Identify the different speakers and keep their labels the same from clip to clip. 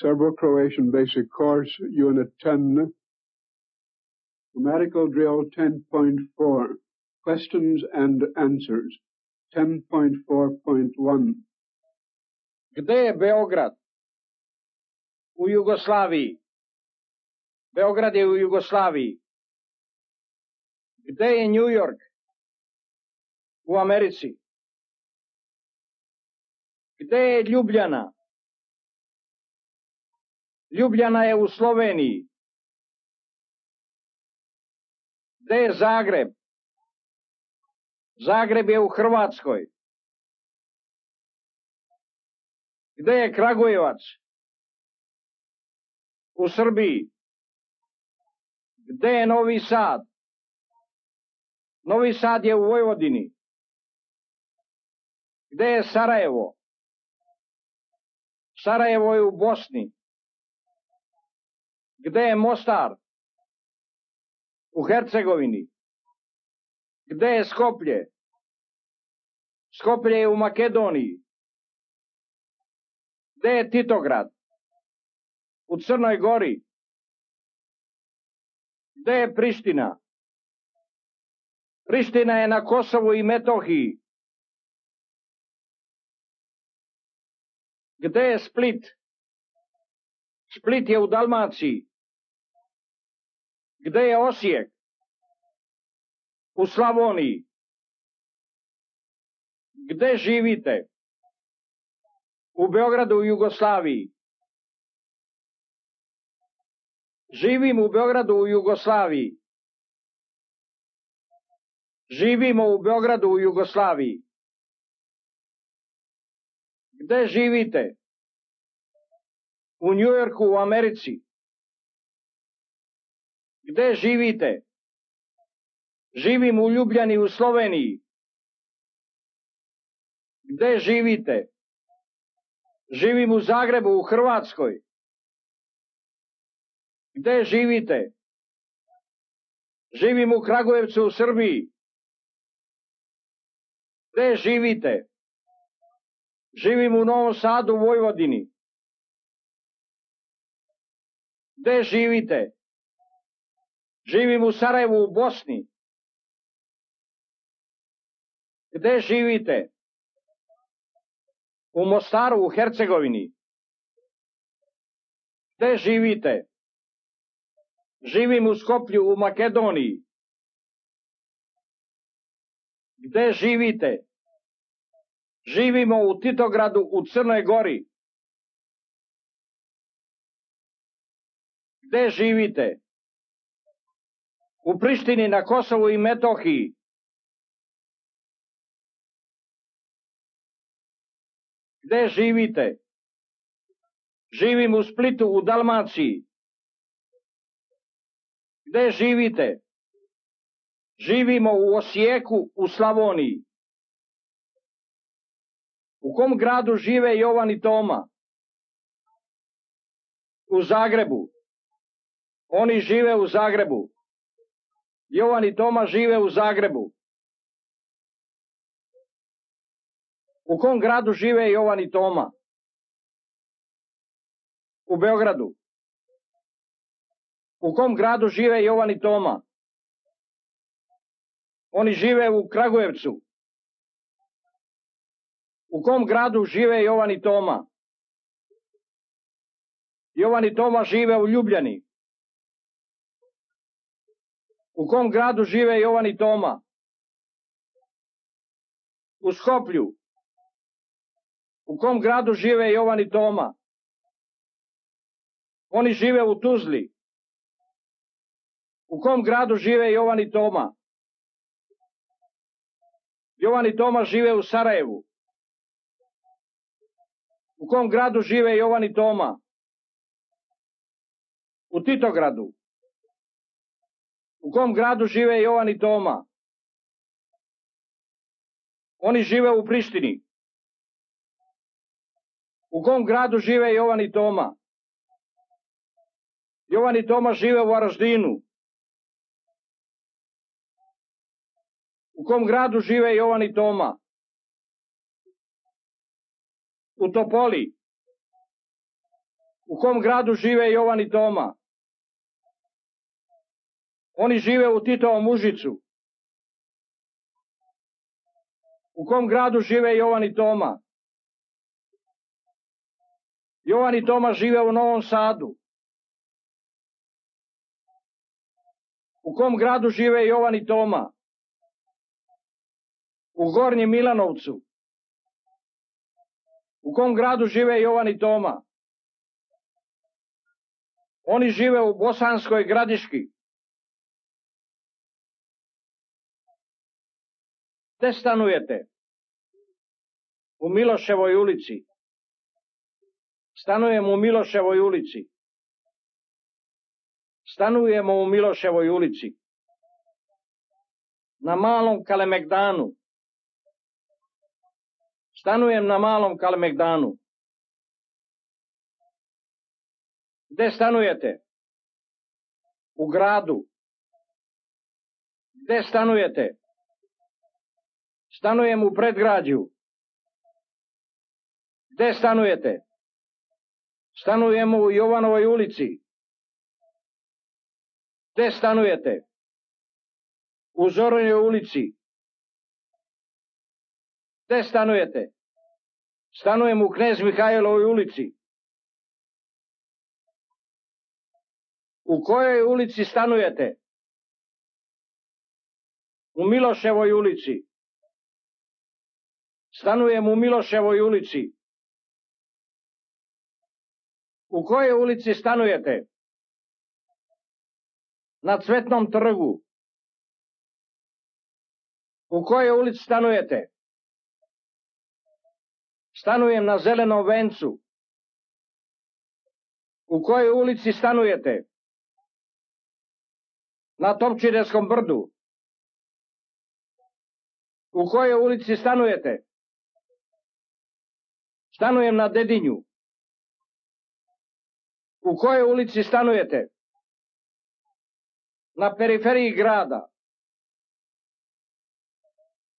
Speaker 1: Serbo-Croatian Basic Course, Unit 10, Grammatical Drill 10.4, Questions and Answers, 10.4.1.
Speaker 2: Gde je Beograd? U Jugoslaviji. Beograd je u Jugoslaviji. Gde je New York? U Americi. Gde je Ljubljana? Ljubljana je u Sloveniji. Gde je Zagreb? Zagreb je u Hrvatskoj. Gde je Kragujevac? U Srbiji. Gde je Novi Sad? Novi Sad je u Vojvodini. Gde je Sarajevo? Sarajevo je u Bosni. Gde je Mostar? U Hercegovini. Gde je Skoplje? Skoplje je u Makedoniji. Gde je Titograd? U Crnoj Gori. Gde je Priština? Priština je na Kosovu i Metohiji. Gde je Split? Split je u Dalmaciji. Gde je Osijek? U Slavoniji. Gde živite? U Beogradu u Jugoslaviji. Živim u Beogradu u Jugoslaviji. Živimo u Beogradu u Jugoslaviji. Gde živite? U Njujorku u Americi. Gde živite? Živim u Ljubljani u Sloveniji. Gde živite? Živim u Zagrebu u Hrvatskoj. Gde živite? Živim u Kragujevcu u Srbiji. Gde živite? Živim u Novom Sadu u Vojvodini. Gde živite? Živim u Sarajevu u Bosni. Gde živite? U Mostaru u Hercegovini. Gde živite? Živim u Skoplju u Makedoniji. Gde živite? Živimo u Titogradu u Crnoj Gori. Gde živite? U Prištini na Kosovu i Metohiji. Gde živite? Živim u Splitu u Dalmaciji. Gde živite? Živimo u Osijeku u Slavoniji. U kom gradu žive Jovan i Toma? U Zagrebu. Oni žive u Zagrebu. Jovan i Toma žive u Zagrebu. U kom gradu žive Jovan i Toma? U Beogradu. U kom gradu žive Jovan i Toma? Oni žive u Kragujevcu. U kom gradu žive Jovan i Toma? Jovan i Toma žive u Ljubljani. U kom gradu žive Jovan i Toma? U Skoplju. U kom gradu žive Jovan i Toma? Oni žive u Tuzli. U kom gradu žive Jovan i Toma? Jovan i Toma žive u Sarajevu. U kom gradu žive Jovan i Toma? U Titogradu. U kom gradu žive Jovan i Toma? Oni žive u Prištini. U kom gradu žive Jovan i Toma? Jovan i Toma žive u Varaždinu. U kom gradu žive Jovan i Toma? U Topoli. U kom gradu žive Jovan i Toma? Oni žive u Titovom Užicu. U kom gradu žive Jovan i Toma? Jovan i Toma žive u Novom Sadu. U kom gradu žive Jovan i Toma? U Gornjem Milanovcu. U kom gradu žive Jovan i Toma? Oni žive u Bosanskoj Gradiški. Gde stanujete? U Miloševoj ulici. Stanujemo u Miloševoj ulici. Stanujemo u Miloševoj ulici. Na Malom Kalemegdanu. Stanujem na Malom Kalemegdanu. Gde stanujete? U gradu. Gde stanujete? Stanujem u predgrađu. Gde stanujete? Stanujemo u Jovanovoj ulici. Gde stanujete? U Zoranjoj ulici. Gde stanujete? Stanujem u Knez Mihajlovoj ulici. U kojoj ulici stanujete? U Miloševoj ulici. Stanujem u Miloševoj ulici. U kojoj ulici stanujete? Na Cvetnom trgu. U kojoj ulici stanujete? Stanujem na Zelenom vencu. U kojoj ulici stanujete? Na Topčiderskom brdu. U kojoj ulici stanujete? Stanujem na Dedinju. U kojoj ulici stanujete? Na periferiji grada.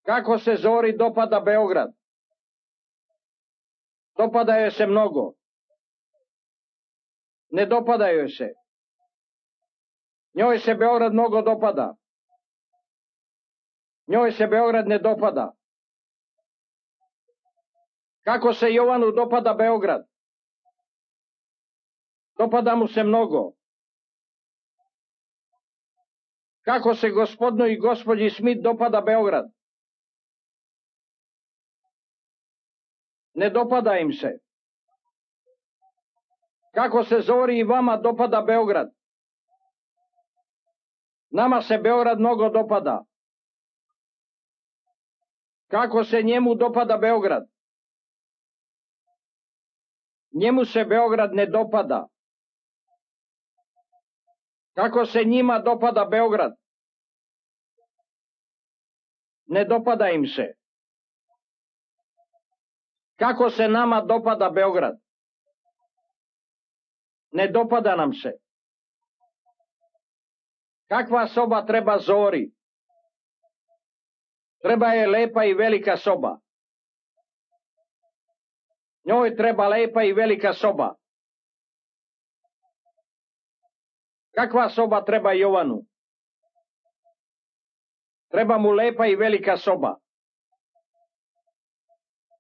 Speaker 2: Kako se Zori dopada Beograd? Dopada joj se mnogo. Ne dopada joj se. Njoj se Beograd mnogo dopada. Njoj se Beograd ne dopada. Kako se Jovanu dopada Beograd? Dopada mu se mnogo. Kako se gospodinu i gospođi Smith dopada Beograd? Ne dopada im se. Kako se Zori i vama dopada Beograd? Nama se Beograd mnogo dopada. Kako se njemu dopada Beograd? Njemu se Beograd ne dopada. Kako se njima dopada Beograd? Ne dopada im se. Kako se nama dopada Beograd? Ne dopada nam se. Kakva soba treba Zori? Treba je lepa i velika soba. Njoj treba lepa i velika soba. Kakva soba treba Jovanu? Treba mu lepa i velika soba.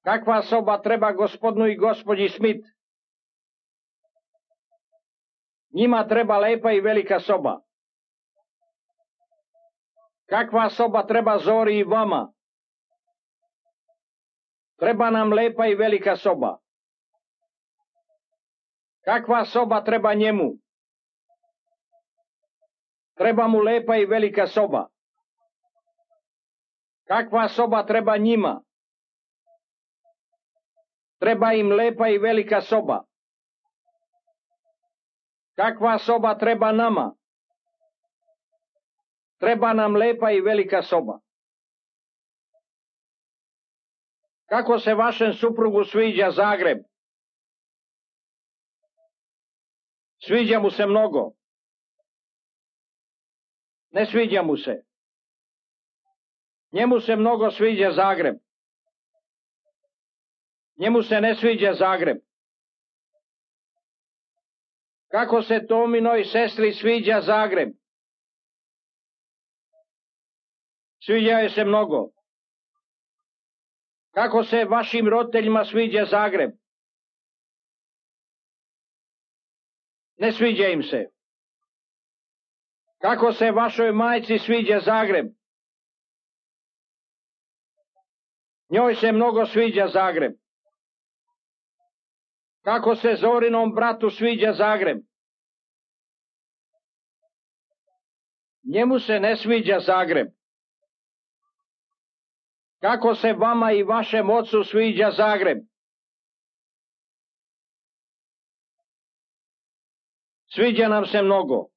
Speaker 2: Kakva soba treba gospodinu i gospođi Smith? Njima treba lepa i velika soba. Kakva soba treba Zori i vama? Treba nam lepa i velika soba. Kakva soba treba njemu? Treba mu lepa i velika soba. Kakva soba treba njima? Treba im lepa i velika soba. Kakva soba treba nama? Treba nam lepa i velika soba. Kako se vašem suprugu sviđa Zagreb? Sviđa mu se mnogo. Ne sviđa mu se. Njemu se mnogo sviđa Zagreb. Njemu se ne sviđa Zagreb. Kako se Tominoj sestri sviđa Zagreb? Sviđa joj se mnogo. Kako se vašim roditeljima sviđa Zagreb? Ne sviđa im se. Kako se vašoj majci sviđa Zagreb? Njoj se mnogo sviđa Zagreb. Kako se Zorinom bratu sviđa Zagreb? Njemu se ne sviđa Zagreb. Kako se vama i vašem ocu sviđa Zagreb? Sviđa nam se mnogo.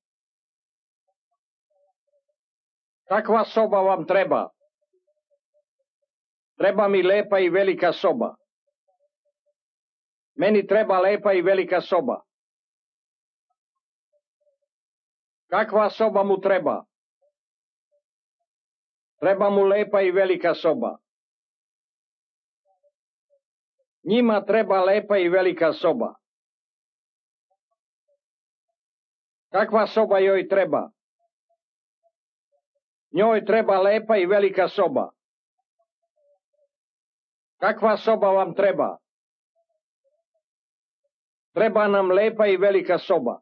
Speaker 2: Kakva soba vam treba? Treba mi lepa i velika soba. Meni treba lepa i velika soba. Kakva soba mu treba? Treba mu lepa i velika soba. Njima treba lepa i velika soba. Kakva soba joj treba? Njoj treba lepa i velika soba. Kakva soba vam treba? Treba nam lepa i velika soba.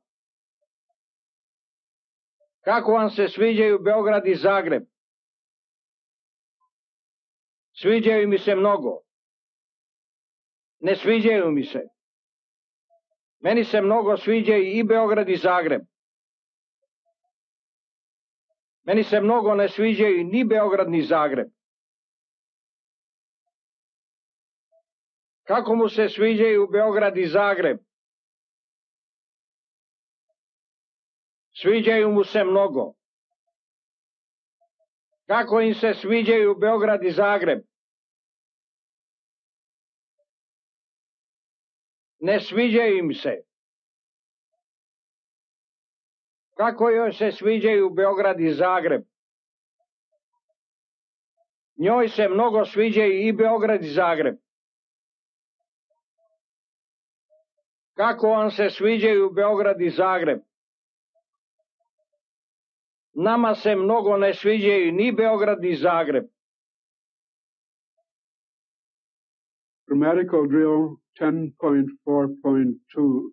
Speaker 2: Kako vam se sviđaju Beograd i Zagreb? Sviđaju mi se mnogo. Ne sviđaju mi se. Meni se mnogo sviđaju i Beograd i Zagreb. Meni se mnogo ne sviđaju ni Beograd ni Zagreb. Kako mu se sviđaju Beograd i Zagreb? Sviđaju mu se mnogo. Kako im se sviđaju Beograd i Zagreb? Ne sviđaju im se. Kako joj se sviđaju Beograd i Zagreb? Njoj se mnogo sviđaju i Beograd i Zagreb. Kako vam se sviđaju Beograd i Zagreb? Nama se mnogo ne sviđaju ni Beograd ni Zagreb.
Speaker 1: Grammatical drill 10.4.2.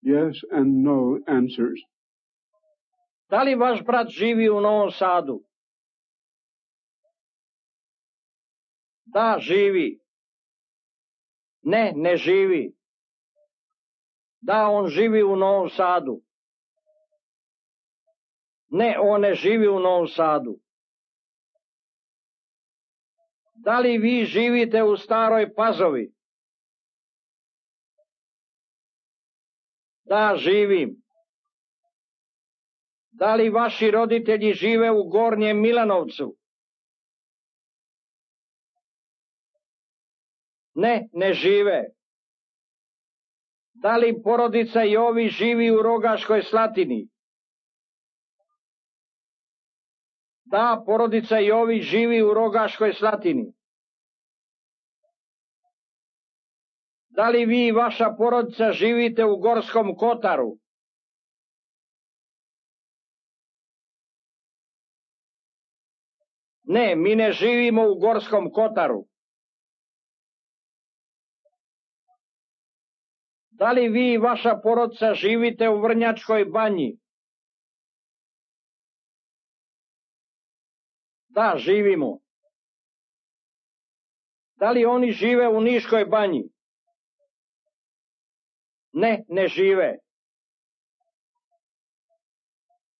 Speaker 1: Yes and no answers.
Speaker 2: Da li vaš brat živi u Novom Sadu? Da, živi. Ne, ne živi. Da, on živi u Novom Sadu. Ne, on ne živi u Novom Sadu. Da li vi živite u Staroj Pazovi? Da, živim. Da li vaši roditelji žive u Gornjem Milanovcu? Ne, ne žive. Da li porodica Jovi živi u Rogaškoj Slatini? Da, porodica Jovi živi u Rogaškoj Slatini. Da li vi i vaša porodica živite u Gorskom Kotaru? Ne, mi ne živimo u Gorskom Kotaru. Da li vi i vaša porodica živite u Vrnjačkoj Banji? Da, živimo. Da li oni žive u Niškoj Banji? Ne, ne žive.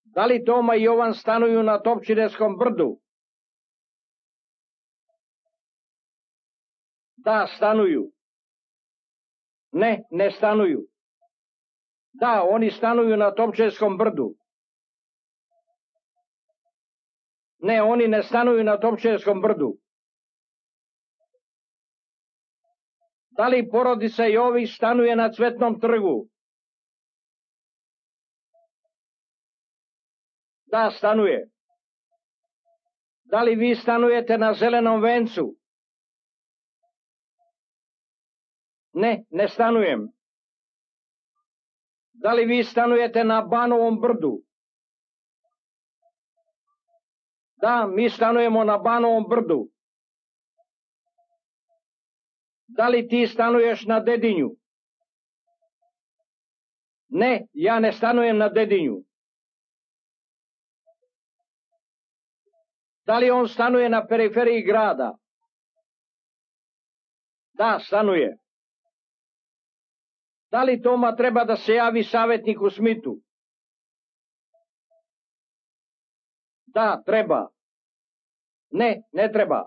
Speaker 2: Da li Toma i Jovan stanuju na Topčineskom brdu? Da, stanuju. Ne, ne stanuju. Da, oni stanuju na Topčineskom brdu. Ne, oni ne stanuju na Topčineskom brdu. Da li porodica Jović stanuje na Cvetnom trgu? Da, stanuje. Da li vi stanujete na Zelenom vencu? Ne, ne stanujem. Da li vi stanujete na Banovom brdu? Da, mi stanujemo na Banovom brdu. Da li ti stanuješ na Dedinju? Ne, ja ne stanujem na Dedinju. Da li on stanuje na periferiji grada? Da, stanuje. Da li Toma treba da se javi savjetniku Smitu? Da, treba. Ne, ne treba.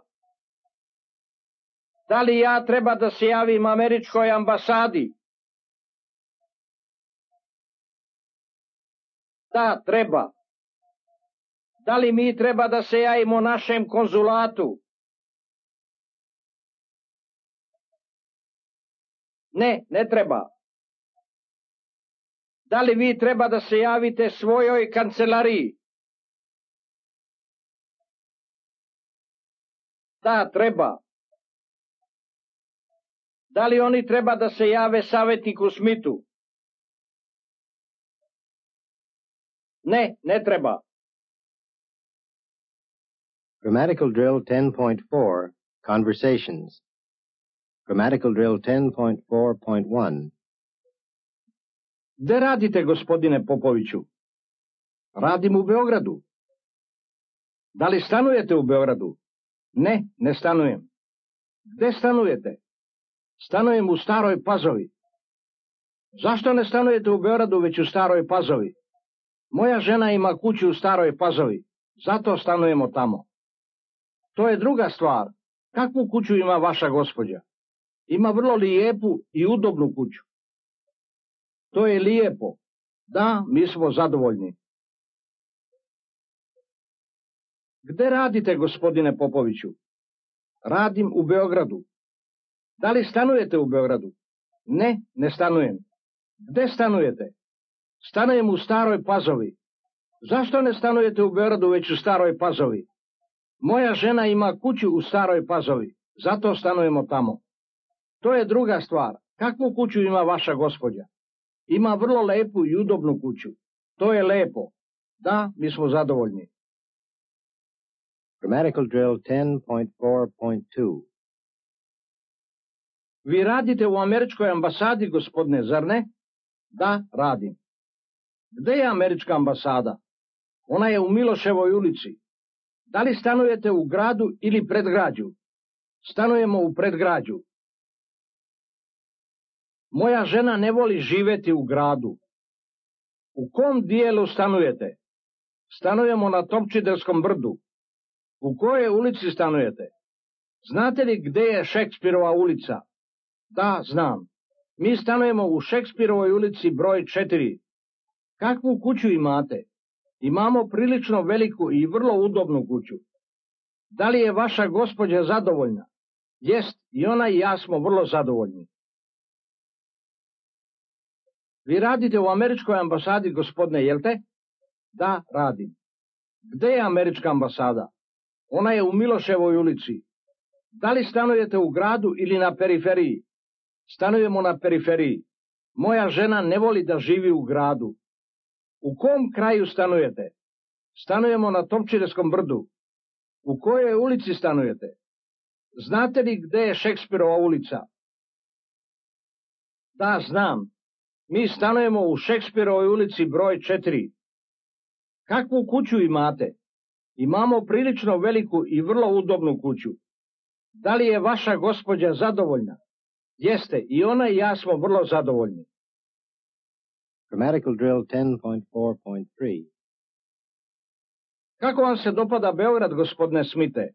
Speaker 2: Da li ja treba da se javim američkoj ambasadi? Da, treba. Da li mi treba da se javimo našem konzulatu? Ne, ne treba. Da li vi treba da se javite svojoj kancelariji? Da, treba. Da li oni treba da se jave savjetniku Smitu? Ne, ne treba.
Speaker 3: Grammatical Drill 10.4, Conversations. Grammatical Drill 10.4.1.
Speaker 2: Gde radite, gospodine Popoviću? Radim u Beogradu. Da li stanujete u Beogradu? Ne, ne stanujem. Gde stanujete? Stanujem u Staroj Pazovi. Zašto ne stanujete u Beogradu, već u Staroj Pazovi? Moja žena ima kuću u Staroj Pazovi, zato stanujemo tamo. To je druga stvar. Kakvu kuću ima vaša gospođa? Ima vrlo lijepu i udobnu kuću. To je lijepo. Da, mi smo zadovoljni. Gde radite, gospodine Popoviću? Radim u Beogradu. Da li stanujete u Beogradu? Ne, ne stanujem. Gde stanujete? Stanujem u Staroj Pazovi. Zašto ne stanujete u Beogradu, već u Staroj Pazovi? Moja žena ima kuću u Staroj Pazovi, zato stanujemo tamo. To je druga stvar. Kakvu kuću ima vaša gospođa? Ima vrlo lepu i udobnu kuću. To je lepo. Da, mi smo zadovoljni.
Speaker 3: Grammatical Drill 10.4.2.
Speaker 2: Vi radite u američkoj ambasadi, gospodine, zar ne? Da, radim. Gde je američka ambasada? Ona je u Miloševoj ulici. Da li stanujete u gradu ili predgrađu? Stanujemo u predgrađu. Moja žena ne voli živeti u gradu. U kom dijelu stanujete? Stanujemo na Topčiderskom brdu. U kojoj ulici stanujete? Znate li gde je Šekspirova ulica? Da, znam. Mi stanujemo u Šekspirovoj ulici broj 4. Kakvu kuću imate? Imamo prilično veliku i vrlo udobnu kuću. Da li je vaša gospođa zadovoljna? Jest, i ona i ja smo vrlo zadovoljni. Vi radite u američkoj ambasadi, gospodine, jel te? Da, radim. Gde je američka ambasada? Ona je u Miloševoj ulici. Da li stanujete u gradu ili na periferiji? Stanujemo na periferiji. Moja žena ne voli da živi u gradu. U kom kraju stanujete? Stanujemo na Topčiderskom brdu. U kojoj ulici stanujete? Znate li gde je Šekspirova ulica? Da, znam. Mi stanujemo u Šekspirovoj ulici broj 4. Kakvu kuću imate? Imamo prilično veliku i vrlo udobnu kuću. Da li je vaša gospođa zadovoljna? Jeste, i ona i ja smo vrlo zadovoljni.
Speaker 3: Grammatical Drill 10.4.3.
Speaker 2: Kako vam se dopada Beograd, gospodine Smite?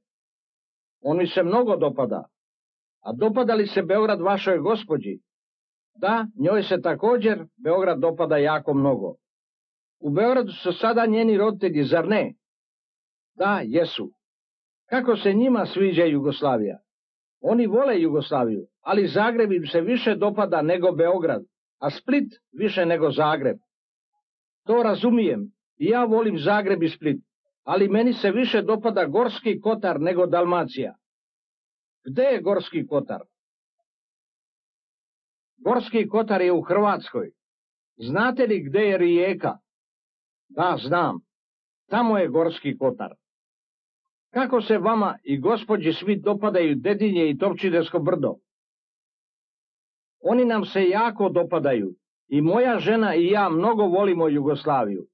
Speaker 2: On mi se mnogo dopada. A dopada li se Beograd vašoj gospođi? Da, njoj se također Beograd dopada jako mnogo. U Beogradu su sada njeni roditelji, zar ne? Da, jesu. Kako se njima sviđa Jugoslavija? Oni vole Jugoslaviju, ali Zagreb im se više dopada nego Beograd, a Split više nego Zagreb. To razumijem, i ja volim Zagreb i Split, ali meni se više dopada Gorski Kotar nego Dalmacija. Gde je Gorski Kotar? Gorski Kotar je u Hrvatskoj. Znate li gde je rijeka? Da, znam. Tamo je Gorski Kotar. Kako se vama i gospođi Smith dopadaju Dedinje i Topčidersko brdo? Oni nam se jako dopadaju i moja žena i ja mnogo volimo Jugoslaviju.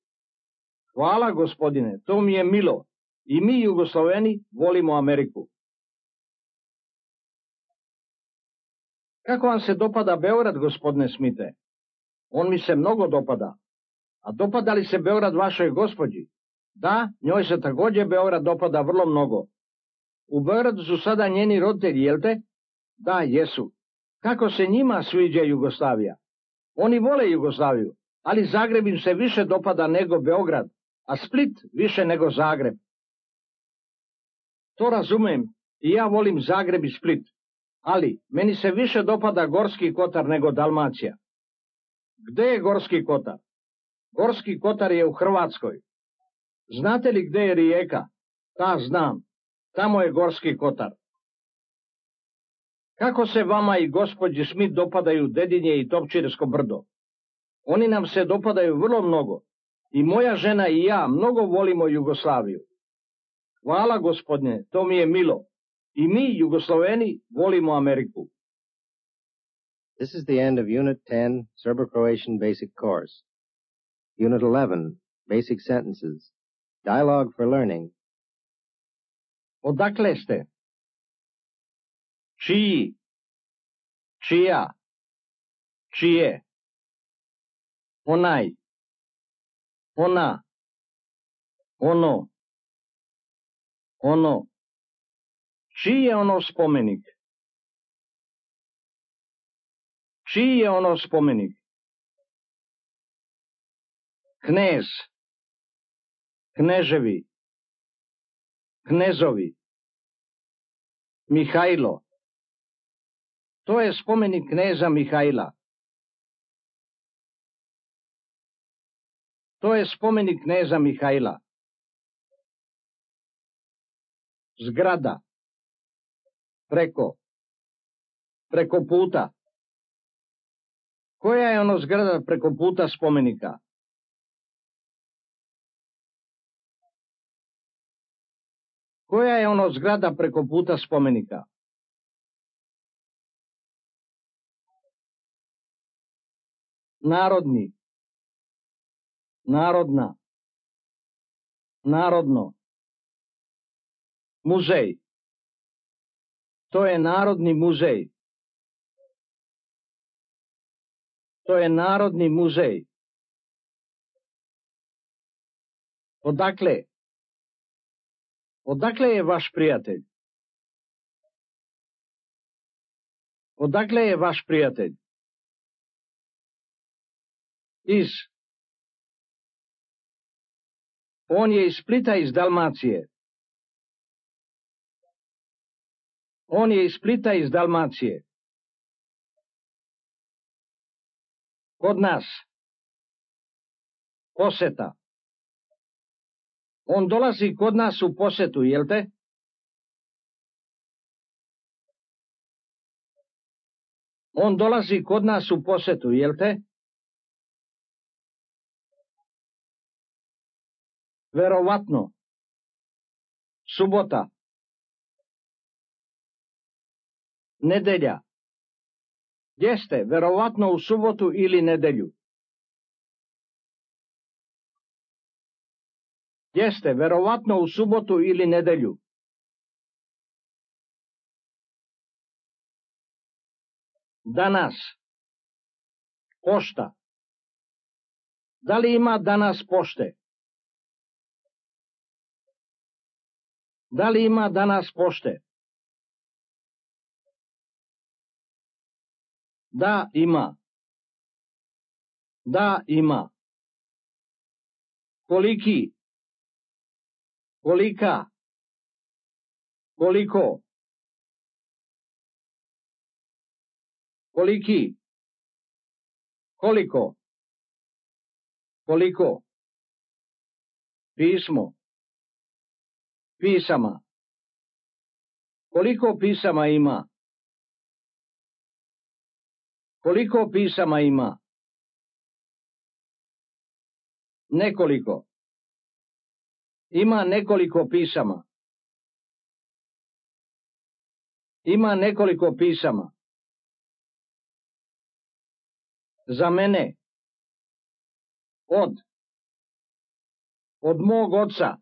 Speaker 2: Hvala, gospodine, to mi je milo. I mi, Jugosloveni, volimo Ameriku. Kako vam se dopada Beograd, gospodine Smithe? On mi se mnogo dopada. A dopada li se Beograd vašoj gospođi? Da, njoj se također Beograd dopada vrlo mnogo. U Beogradu su sada njeni roditelji, jel te? Da, jesu. Kako se njima sviđa Jugoslavija? Oni vole Jugoslaviju, ali Zagreb im se više dopada nego Beograd, a Split više nego Zagreb. To razumem, i ja volim Zagreb i Split, ali meni se više dopada Gorski Kotar nego Dalmacija. Gde je Gorski Kotar? Gorski Kotar je u Hrvatskoj. Znate li gde je rijeka? Da, znam. Tamo je Gorski Kotar. Kako se vama i gospođi Smith dopadaju Dedinje i Topčidersko brdo? Oni nam se dopadaju vrlo mnogo. I moja žena i ja mnogo volimo Jugoslaviju. Hvala, gospodine, to mi je milo. I mi, Jugosloveni, volimo Ameriku.
Speaker 3: This is the end of Unit 10, Serbo-Croatian Basic Course. Unit 11, Basic Sentences. Dialogue for Learning.
Speaker 2: Odakle ste? Čiji? Čija? Čije? Onaj? Ona? Ono? Ono? Čiji je ono spomenik? Čiji je ono spomenik? Knez? Kneževi? Knezovi? Mihajlo? To je spomenik kneza Mihajla. To je spomenik kneza Mihajla. Zgrada. Preko. Preko puta. Koja je ono zgrada preko puta spomenika? Koja je ono zgrada preko puta spomenika? Narodni. Narodna. Narodno. Muzej. To je Narodni muzej. To je Narodni muzej. Odakle? Odakle je vaš prijatelj? Odakle je vaš prijatelj? Iz. On je iz Splita, iz Dalmacije. On je iz Splita, iz Dalmacije. Kod nas. Poseta. On dolazi kod nas u posetu, jel te? On dolazi kod nas u posetu, jel te? Verovatno. Subota. Nedelja. Gdje ste? Verovatno u subotu ili nedelju. Gdje ste? Verovatno u subotu ili nedelju. Danas. Pošta. Da li ima danas pošte? Da li ima danas pošte? Da, ima. Da, ima. Koliki? Kolika? Koliko? Koliki? Koliko? Koliko? Pismo. Pisama. Koliko pisama ima? Koliko pisama ima? Nekoliko. Ima nekoliko pisama. Ima nekoliko pisama. Za mene. Od mog oca.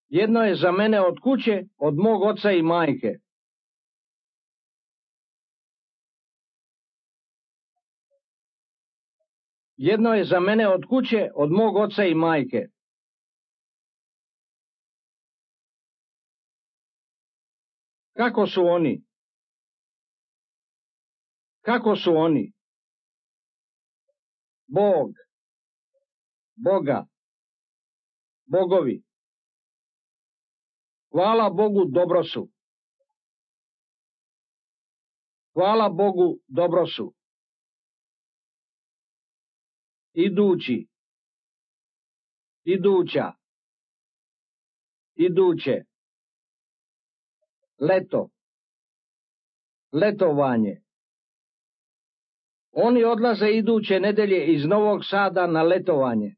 Speaker 2: Jedno je za mene od kuće, od mog oca i majke. Jedno je za mene od kuće, od mog oca i majke. Kako su oni? Kako su oni? Bog, Boga, bogovi. Hvala Bogu, dobro su. Hvala Bogu, dobro su. Idući, iduća, iduće. Leto, letovanje. Oni odlaze iduće nedelje iz Novog Sada na letovanje.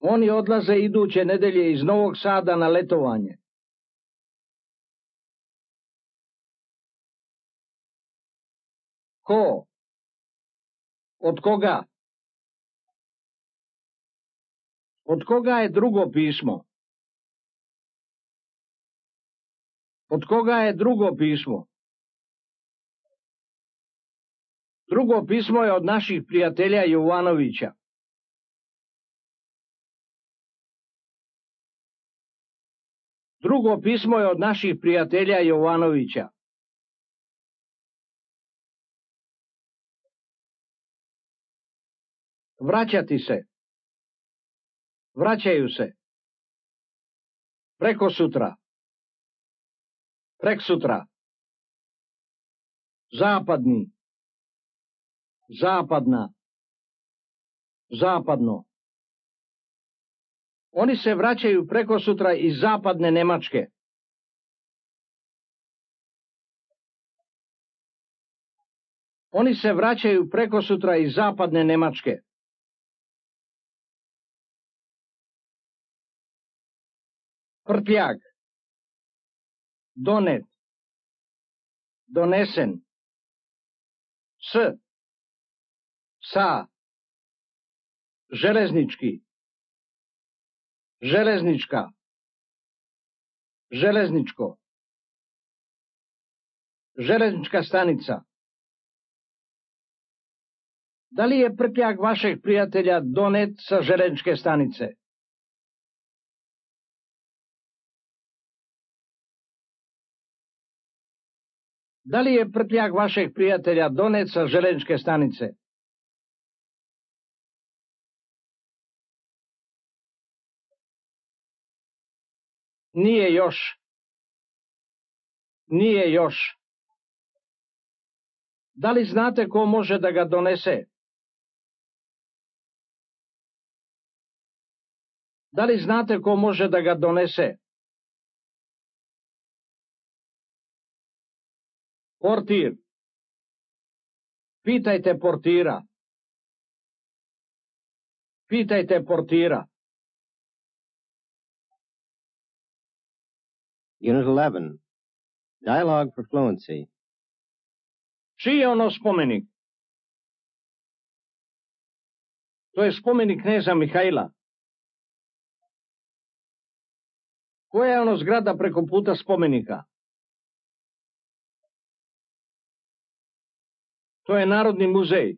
Speaker 2: Oni odlaze iduće nedelje iz Novog Sada na letovanje. Ko? Od koga? Od koga je drugo pismo? Od koga je drugo pismo? Drugo pismo je od naših prijatelja Jovanovića. Drugo pismo je od naših prijatelja Jovanovića. Vraćati se. Vraćaju se. Preko sutra. Preksutra. Zapadni. Zapadna. Zapadno. Oni se vraćaju preko sutra iz zapadne Nemačke. Oni se vraćaju preko sutra iz zapadne Nemačke. Prtljag. Donet. Donesen. Sa. Železnički. Železnička. Železničko. Železnička stanica. Da li je prtljag vašeg prijatelja donet sa železničke stanice? Da li je prtljag vašeg prijatelja donet sa železničke stanice? Nije još. Nije još. Da li znate ko može da ga donese? Da li znate ko može da ga donese? Portir. Pitajte portira. Pitajte portira.
Speaker 3: Unit 11. Dialogue for Fluency.
Speaker 2: Čiji je ono spomenik? To je spomenik kneza Mihajla. Koja je ono zgrada preko puta spomenika? To je Narodni muzej.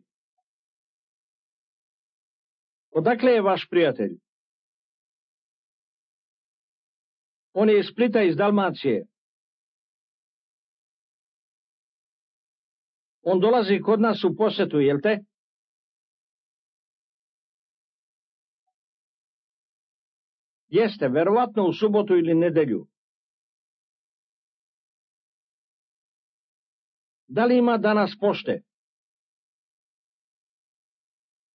Speaker 2: Odakle je vaš prijatelj? On je iz Splita, iz Dalmacije. On dolazi kod nas u posetu, jel te? Jeste, verovatno u subotu ili nedelju. Da li ima danas pošte?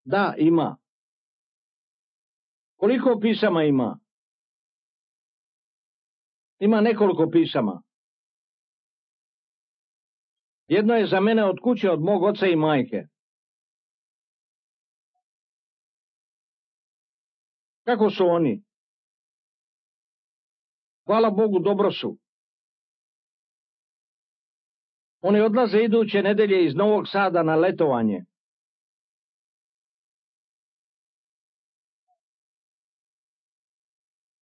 Speaker 2: Da, ima. Koliko pisama ima? Ima nekoliko pisama. Jedno je za mene od kuće od mog oca i majke. Kako su oni? Hvala Bogu, dobro su. Oni odlaze iduće nedelje iz Novog Sada na letovanje.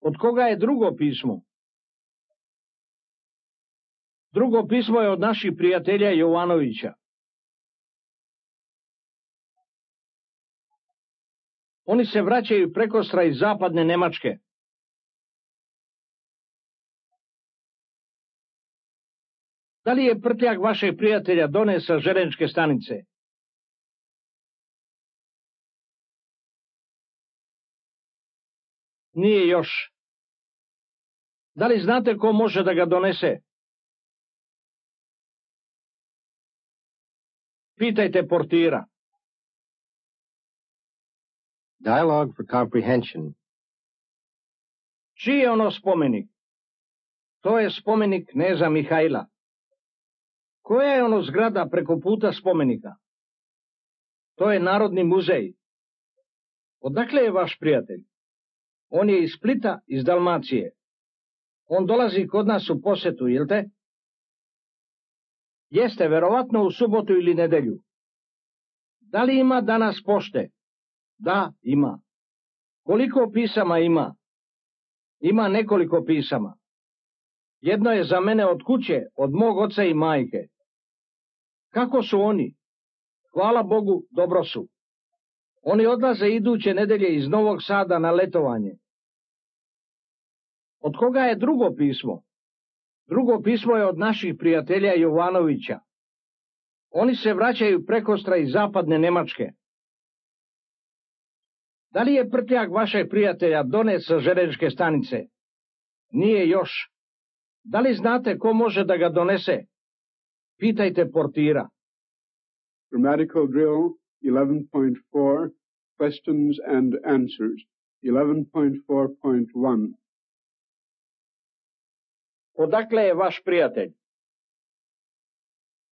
Speaker 2: Od koga je drugo pismo? Drugo pismo je od naših prijatelja Jovanovića. Oni se vraćaju prekostra iz zapadne Nemačke. Da li je prtljak vašeg prijatelja doneo sa železničke stanice? Nije još. Da li znate ko može da ga donese? Pitajte portira.
Speaker 3: Dialogue for comprehension.
Speaker 2: Čiji je ono spomenik? To je spomenik kneza Mihajla. Koja je ono zgrada preko puta spomenika? To je Narodni muzej. Odakle je vaš prijatelj? On je iz Splita, iz Dalmacije. On dolazi kod nas u posetu, jel te? Jeste, verovatno u subotu ili nedelju. Da li ima danas pošte? Da, ima. Koliko pisama ima? Ima nekoliko pisama. Jedno je za mene od kuće, od mog oca i majke. Kako su oni? Hvala Bogu, dobro su. Oni odlaze iduće nedelje iz Novog Sada na letovanje. Od koga je drugo pismo? Drugo pismo je od naših prijatelja Jovanovića. Oni se vraćaju prekostra iz zapadne Nemačke. Da li je prtljak vašeg prijatelja donet sa železničke stanice? Nije još. Da li znate ko može da ga donese? Pitajte portira.
Speaker 1: Grammatical drill 11.4 Questions and answers 11.4.1
Speaker 2: Odakle je vaš prijatelj?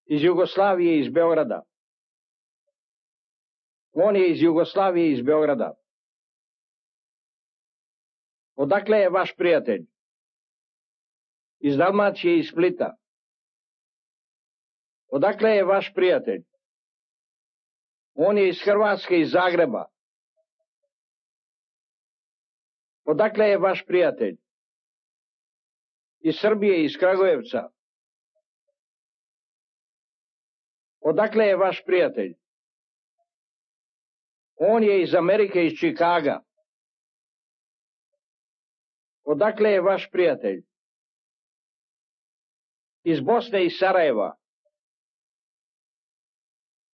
Speaker 2: Iz Jugoslavije, iz Beograda. On je iz Jugoslavije, iz Beograda. Odakle je vaš prijatelj? Iz Dalmacije, iz Splita. Odakle je vaš prijatelj? On je iz Hrvatske, iz Zagreba. Odakle je vaš prijatelj? Iz Srbije, iz Kragujevca. Odakle je vaš prijatelj? On je iz Amerike, iz Čikaga. Odakle je vaš prijatelj? Iz Bosne, iz Sarajeva.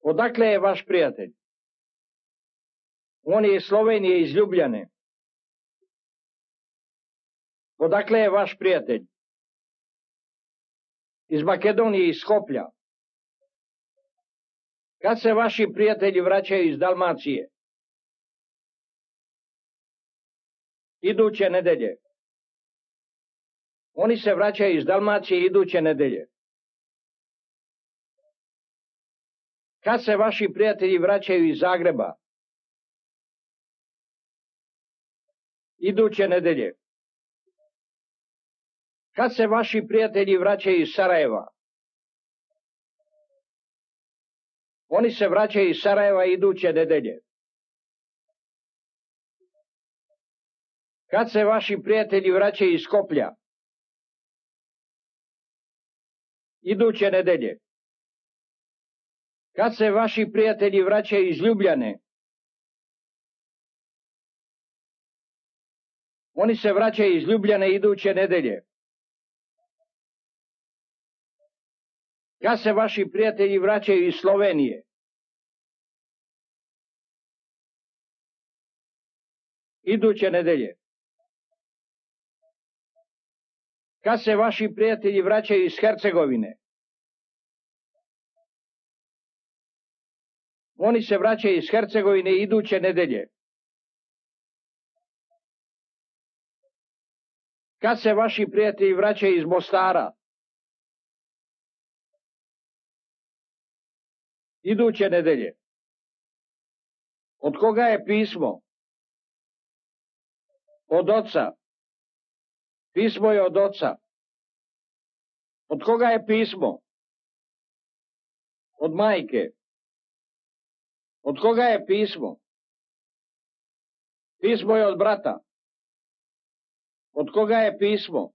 Speaker 2: Odakle je vaš prijatelj? On je iz Slovenije, iz Ljubljane. Odakle je vaš prijatelj? Iz Makedonije, iz Skoplja. Kad se vaši prijatelji vraćaju iz Dalmacije? Iduće nedelje. Oni se vraćaju iz Dalmacije iduće nedelje. Kad se vaši prijatelji vraćaju iz Zagreba? Iduće nedelje. Kad se vaši prijatelji vraćaju iz Sarajeva? Oni se vraćaju iz Sarajeva iduće nedelje. Kad se vaši prijatelji vraćaju iz Skoplja? Iduće nedelje. Kad se vaši prijatelji vraćaju iz Ljubljane? Oni se vraćaju iz Ljubljane iduće nedelje. Kad se vaši prijatelji vraćaju iz Slovenije? Iduće nedelje. Kad se vaši prijatelji vraćaju iz Hercegovine? Oni se vraćaju iz Hercegovine iduće nedelje. Kad se vaši prijatelji vraćaju iz Mostara? Iduće nedelje. Od koga je pismo? Od oca. Pismo je od oca. Od koga je pismo? Od majke. Od koga je pismo? Pismo je od brata. Od koga je pismo?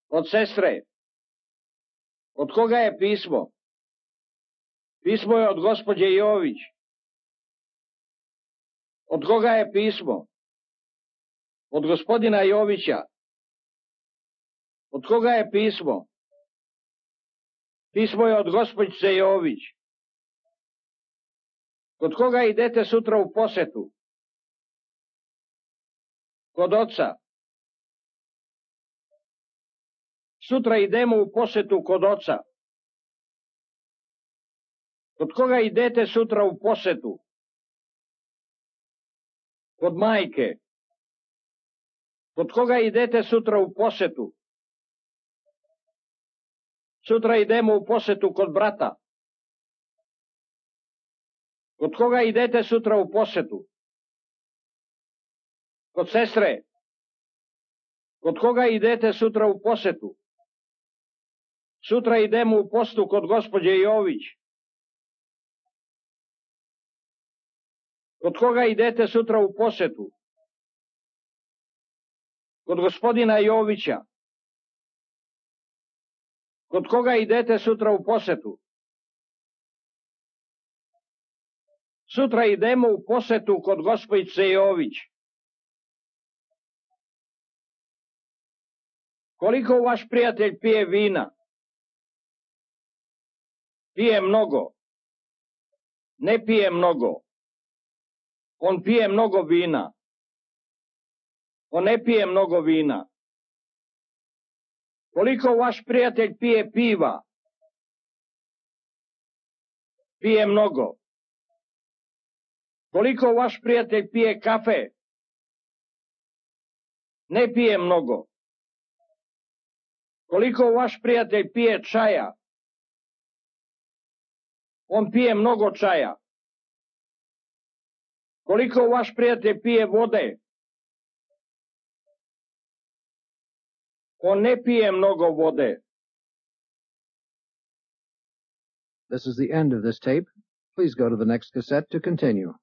Speaker 2: Od sestre. Od koga je pismo? Pismo je od gospođe Jović. Od koga je pismo? Od gospodina Jovića. Od koga je pismo? Pismo je od gospođice Jović. Kod koga idete sutra u posetu? Kod oca. Sutra idemo u posetu kod oca. Kod koga idete sutra u posetu? Kod majke. Kod koga idete sutra u posetu? Sutra idemo u posetu kod brata. Kod koga idete sutra u posetu? Kod sestre. Kod koga idete sutra u posetu? Sutra idemo u posetu kod gospođe Jović. Kod koga idete sutra u posetu? Kod gospodina Jovića. Kod koga idete sutra u posetu? Sutra idemo u posetu kod gospođice Jović. Koliko vaš prijatelj pije vina? Pije mnogo. Ne pije mnogo. On pije mnogo vina. On ne pije mnogo vina. Koliko vaš prijatelj pije piva? Pije mnogo. Koliko vaš prijatelj pije kafe? Ne pije mnogo. Koliko vaš prijatelj pije čaja? On pije mnogo čaja. Koliko vaš prijatelj pije vode? On ne pije mnogo vode.
Speaker 4: This is the end of this tape. Please go to the next cassette to continue.